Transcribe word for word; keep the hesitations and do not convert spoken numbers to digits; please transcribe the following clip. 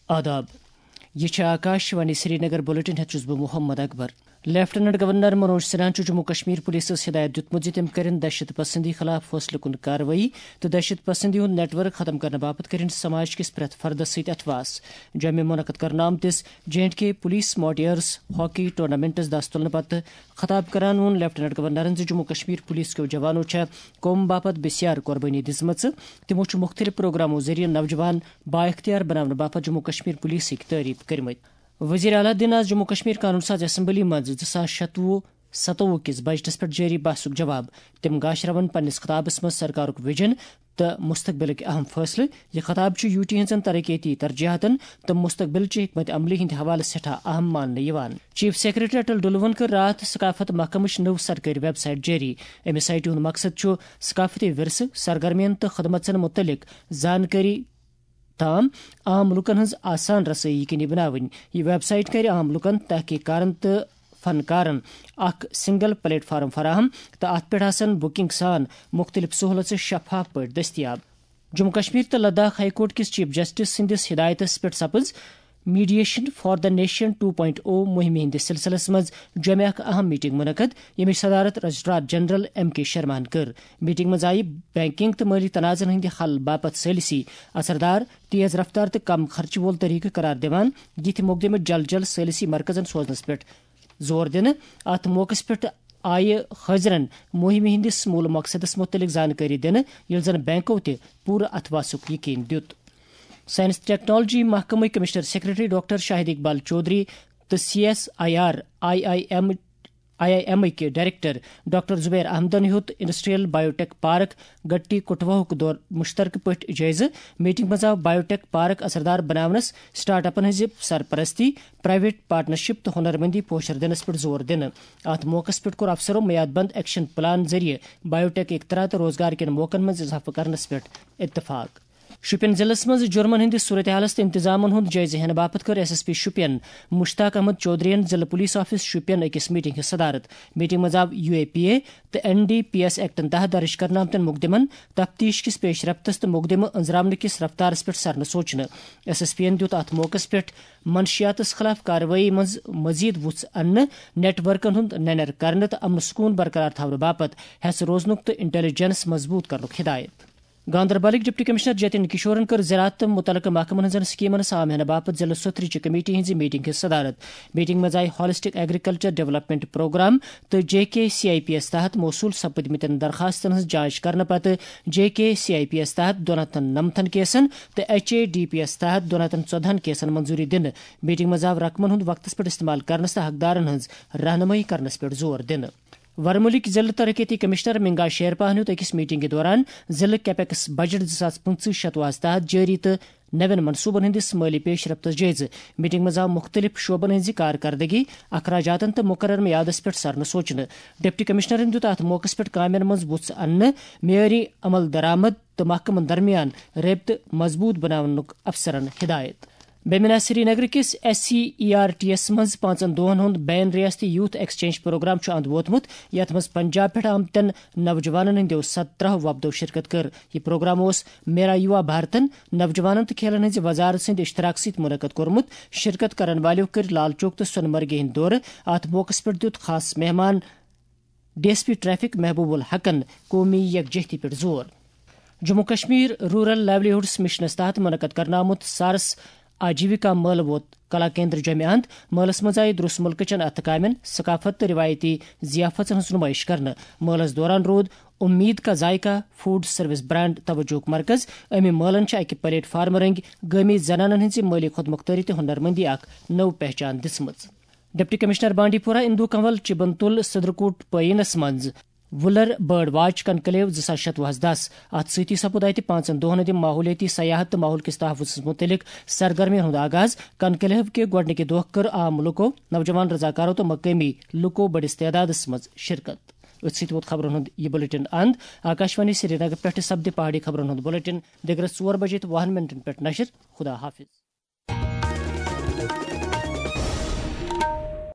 آداب۔ یہ چھِ آکاش وانی سرینگر۔ بلیٹن ہیتھ چھُس بہٕ محمد اکبر۔ لیفٹیننٹ گورنر منوج سنہاہن چھُ جموں کشمیر پولیسس ہدایت دیُتمُت زِ تِم کٔرِن دہشت پسندی خلاف فٲصلہٕ کُن کاروٲیی تہٕ دہشت پسندی ہُنٛد نیٹ ورک ختم کرنہٕ باپتھ کٔرِن سماج کِس پرٛٮ۪تھ فردس سۭتۍ اتھواس۔ جوٚمہِ منعقد کرنہٕ آمتِس جے اینڈ کے پولیس ماڈیئرس ہاکی ٹورنامنٹس دس تُلنہٕ پتہٕ خطاب کران ووٚن لیفٹیننٹ گورنرن زِ جموں کشمیر پولیس کیو جوانو چھےٚ قوم باپتھ بسیار قربٲنی دِژمٕژ۔ تِمو چھُ مُختٔلِف پروگرامو ذٔریعہٕ نوجوان بااختیار بناونہٕ باپتھ جموں کشمیر پولیسٕکۍ تعریف کٔرمٕتۍ۔ وزیر اعلیٰ دِن آز جموں کشمیر قانون ساز اسمبلی منٛز زٕ ساس شتوُہ ستووُہ کِس بجٹس پٮ۪ٹھ جٲری بحثُک جواب۔ تِم گاشراون پننِس خطابس منٛز سرکارُک ویژن تہٕ مستقبلٕکۍ اہم فٲصلہٕ۔ یہِ خطاب چھُ یوٗ ٹی ہٕنٛزن ترقیتی ترجیحاتن تہٕ مستقبلچہِ حکمت عملی ہٕنٛدِ حوالہٕ سٮ۪ٹھاہ اہم ماننہٕ یِوان۔ چیف سیکرٹری اٹل ڈلوہن کٔر راتھ ثقافت محکمٕچ نٔو سرکٲرۍ ویب سائٹ جٲری۔ امہِ سائٹہِ ہُنٛد مقصد چھُ ثقافتی ورثہٕ، سرگرمین تہٕ خدمژن مُتعلق زانکٲری تام عام لوٗکن ہٕنٛز آسان رسٲیی یقینی بناوٕنۍ۔ یہِ ویب سائٹ کرِ عام لوٗکن، تحقیق کارن تہٕ فنکارن اکھ سنگل پلیٹ فارم فراہم تہٕ اتھ پٮ۪ٹھ آسن بکنگ سان مُختٔلِف سہولژٕ شفاف پٲٹھۍ دٔستیاب۔ جموں کشمیر تہٕ لداخ ہائی کورٹ کِس چیف جسٹس سٕنٛدِس ہدایتس پٮ۪ٹھ سپٕز mediation for the nation two point O مُہِمہِ ہٕنٛدِس سلسلس منٛز جوٚمہِ اکھ اہم میٹنگ منعقد، ییٚمِچ صدارت رجسٹرار جنرل ایم کے شرماہن کٔر۔ میٹنگ منٛز آیہِ بینکنگ تہٕ مٲلی تنازعن ہٕنٛدِ حل باپتھ ثٲلثی، اثردار، تیز رفتار تہٕ کم خرچہٕ وول طریقہٕ قرار دِوان یِتھۍ مقدمہٕ جلد جلد ثٲلثی مرکزن سوزنس پٮ۪ٹھ زور دِنہٕ۔ اتھ موقعس پٮ۪ٹھ آیہِ حٲضرن مُہِمہِ ہٕنٛدِس مول مقصدس مُتعلق زانکٲری دِنہٕ، ییٚلہِ زن بینکو تہِ پوٗرٕ اتھواسُک یقین دیُت۔ سائنس تہٕ ٹیکنالوجی محکمٕکۍ commissioner secretary doctor Shahid Iqbal Chaudhary تہٕ C S I R I I M I I M ٕکۍ ڈائریکٹر ڈاکٹر زبیر احمدن ہیوٚت انڈسٹریل بایوٹیک پارک گٹی کٹھواہُک دورٕ مشترکہٕ پٲٹھۍ جٲیزٕ۔ میٹنگ منٛز آو بایوٹیک پارک اثردار بناونس، سٹارٹ اپن ہٕنٛزِ سرپرستی، پرائیویٹ پارٹنرشپ تہٕ ہنرمندی پوشر دِنس پٮ۪ٹھ زور دِنہٕ۔ اتھ موقعس پٮ۪ٹھ کوٚر افسرو میاد بند ایکشن پلان ذٔریعہٕ بایوٹیک اختراع تہٕ روزگار کٮ۪ن موقعن منٛز اضافہٕ کرنس پٮ۪ٹھ اتفاق۔ شوپین ضلعس منٛز جرمن ہٕنٛدِس صورتحالس تہٕ انتظامن ہُنٛد جٲیزٕ ہٮ۪نہٕ باپتھ کٔر S S P Shopian Mushtaq Ahmad چودھرین ضلعہٕ پولیس آفس شوپین أکِس میٹنگ ہٕنٛز صدارت۔ میٹنگ منٛز آو یو اے پی اے تہٕ این ڈی پی ایس ایکٹن تحت درج کرنہٕ آمتٮ۪ن مقدمن، تفتیش کِس پیش رفتس تہٕ مقدمہٕ أنزراونہٕ کِس رفتارس پٮ۪ٹھ سرنہٕ سوچنہٕ۔ ایس ایس پی یَن دیُت اتھ موقعس پٮ۪ٹھ منشیاتس خلاف کاروٲیی منٛز مزید وُژھ اننہٕ، نیٹ ورکن ہُنٛد ننیر کرنہٕ تہٕ امن سکون برقرار تھاونہٕ باپتھ ہٮ۪س روزنُک تہٕ انٹیلیجنس مضبوط کرنُک ہدایت۔ گاندربلٕکۍ ڈپٹی کمشنر جتن کشورن کٔر زراعت تہٕ متعلقہٕ محکمن ہٕنٛزن سکیمن سام ہینہٕ باپتھ ضلعہٕ سترٕچہِ کمیٹی ہٕنٛزِ میٹنگ ہٕنٛز صدارت۔ میٹنگ منٛز آیہِ ہالسٹک ایگریکلچر ڈیولپمنٹ پروگرام تہٕ J K C I P S تحت موصول سپدمٕتٮ۪ن درخاستن ہٕنٛز جانچ کرنہٕ پتہٕ J K C I P S تحت دۄن ہتن نَمتھن کیسن تہٕ H A D P S تحت دۄن ہتن ژۄدہن کیسن منظوری دِنہٕ۔ میٹنگ منٛز آو رقمن ہُنٛد وقتس پٮ۪ٹھ استعمال کرنس تہٕ حقدارن ہٕنٛز رہنمٲیی کرنس پٮ۪ٹھ زور دِنہٕ۔ ورمُلٕکۍ ضلعہٕ ترقیتی کمشنر منگا شیرپاہن ہیوٚت أکِس میٹنگہِ دوران ضلعہٕ کیپیکس بجٹ زٕ ساس پٕنٛژٕہ شتوُہس تحت جٲری تہٕ نوٮ۪ن منصوبن ہٕنٛدِس مٲلی پیش رفتس جٲیزٕ۔ میٹنگ منٛز آو مُختٔلِف شعبن ہٕنٛزِ کارکردگی، اخراجاتن تہٕ مقرر میعادس پٮ۪ٹھ سرنہٕ سوچنہٕ۔ ڈپٹی کمشنرن دیُت اتھ موقعس پٮ۪ٹھ کامٮ۪ن منٛز وُژھ اننہٕ، معیٲری عمل درآمد تہٕ محکمن درمیان رٲبطہٕ مضبوٗط بناونُک افسرن ہدایت۔ بیمنا سری نگر کِس S C E R T S منٛز پانٛژن دۄہَن ہُنٛد بین ریاستی یوتھ ایکسچینج پروگرام چھُ اند ووتمُت، یَتھ منٛز پنجاب پٮ۪ٹھ آمتٮ۪ن نوجوانَن ہٕنٛدیو سترٛہو وۄپدو شرکت کٔر۔ یہِ پروگرام اوس میرا یوا بھارتن، نوجوانَن تہٕ کھیلَن ہٕنٛزِ وزارت سٕنٛدِ اشتراک سۭتۍ منعقد کوٚرمُت۔ شرکت کرن والٮ۪و کٔرۍ لال چوک تہٕ سۄنہٕ مرگہِ ہٕنٛدۍ دورٕ۔ اَتھ موقعَس پٮ۪ٹھ دیُت خاص مہمان ڈی ایس پی ٹریفک محبوب الحقن قومی یکجہتی پٮ۪ٹھ زور۔ جموں کشمیر رورل لائیولی ہڈس مشنس تحت منعقد کرنہٕ آمُت سارس آجیوکا مٲلہٕ ووت کلا کیندر جوٚمہِ اند۔ مٲلَس منٛز آیہِ درٛوس مُلکہٕ چٮ۪ن اَتھٕ کامٮ۪ن، ثقافت تہٕ رِوایتی ضیافتن ہٕنٛز نُمٲیِش کرنہٕ۔ مٲلَس دوران روٗد امید کا ذائقہ فوڈ سروس برانڈ توجہُک مرکز۔ اَمہِ مٲلَن چھِ اَکہِ پلیٹ فارمہٕ رٔنٛگۍ گٲمی زنانَن ہٕنٛزِ مٲلی خود مختاری تہٕ ہُنرمندی اکھ نٔو پہچان دِژمٕژ۔ ڈپٹی کمشنر بانڈی پورہ اندو کنول چبن تُل صدرکوٹ پٲیینس منٛز وُلر بٲرڈ واچ کنکلیو زٕ ساس شتوُہس دس۔ اتھ سۭتی سپُد اتہِ پانٛژن دۄہن ہٕنٛدِ ماحولیٲتی سیاحت تہٕ ماحول کِس تحفظس مُتعلق سرگرمین ہُنٛد آغاز۔ کنکلیو کہِ گۄڈٕنِکہِ دۄہ کٔر عام لُکو، نوجوان رضاکارو تہٕ مقٲمی لُکو بٔڑِس تعدادس منٛز شرکت۔ أتھۍ سۭتۍ ووت خبرن ہُنٛد یہِ بُلٹن اند۔ آکاشوانی سرینگر پٮ۪ٹھ سپدِ پہاڑی خبرن ہُنٛد بُلٹن دِگرس ژور بجے تہٕ وُہن منٹن پٮ۪ٹھ نشر۔ خدا حافظ۔